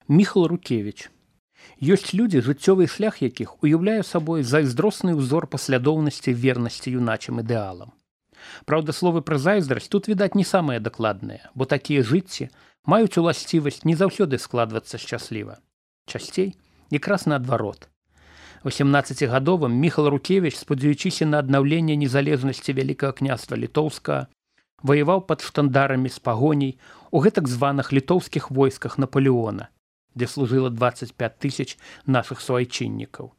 Міхал Рукевіч. Ёсць людзі, жыццёвы шлях якіх уяўляе сабой зайздросны ўзор паслядоўнасці вернасці юначым ідэалам. Праўда, словы пра зайздрасць тут, відаць, не самыя дакладныя, бо такія жыцці маюць уласцівасць не заўсёды складвацца шчасліва. Часцей якраз наадварот. 18гадовым Міхал Рукевіч, спадзяючыся на аднаўленне незалежнасці Вялікага княства Літоўскага, ваяваў пад штандарамі з пагоняй у гэтак званых літоўскіх войсках Напалеона, дзе служыла 25 000 нашых суайчыннікаў.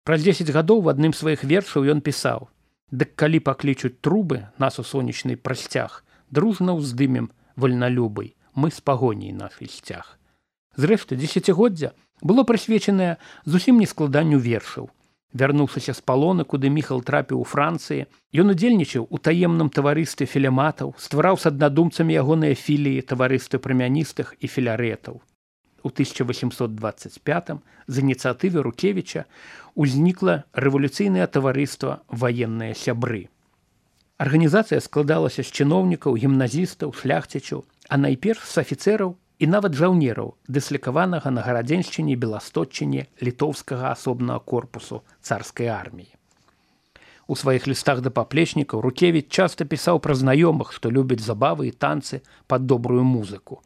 Праз 10 гадоў в адным з сваіх вершаў ён пісаў: «Дык калі паклічуць трубы нас у сонечны прасцяг, дружна ўздымем вальналюбай, мы з пагоняй нашай сцяг». Зрэшты, дзесяцігоддзя было прысвечанае зусім не складанню вершаў. Вярнуўшыся з палона, куды Міхал трапіў у Францыі, ён удзельнічаў у таемным таварыстве філематаў, ствараў з аднадумцамі ягоныя філіі таварыствы прамяністых і філярэтаў. У 1825 з ініцыятывы Рукевіча ўзнікла рэвалюцыйнае таварыства «Ваенныя сябры». Арганізацыя складалася з чыноўнікаў, гімназістаў, шляхцічаў, а найперш з афіцэраў і нават жаўнераў, дыслікаванага на Гарадзеншчыне і Беластотчыне літоўскага асобнага корпусу царскай арміі. У сваіх лістах да паплечнікаў Рукевіч часта пісаў пра знаёмых, што любяць забавы і танцы пад добрую музыку.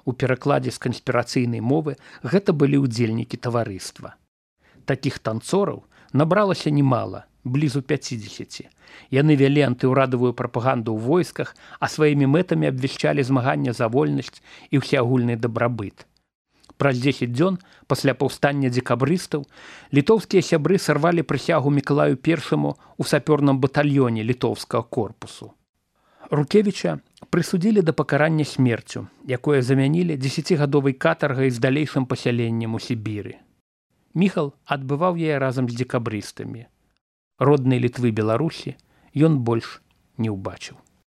У перакладзе з канспірацыйнай мовы гэта былі ўдзельнікі таварыства. Такіх танцораў набралася немала, блізу 50. Яны вялі антыўрадавую прапаганду ў войсках, а сваімі мэтамі абвяшчалі змаганне за вольнасць і ўсеагульны дабрабыт. Праз 10 дзён пасля паўстання дзекабрыстаў літоўскія сябры сарвалі прысягу Мікалаю I у сапёрным батальёне літоўскага корпусу. Рукевіча прысудзілі да пакарання смерцю, якое замянілі 10гадовай катаргай з далейшым пасяленнем у Сібіры. Міхал адбываў яе разам з дзекабрыстамі. Роднай Літвы Беларусі ён больш не ўбачыў.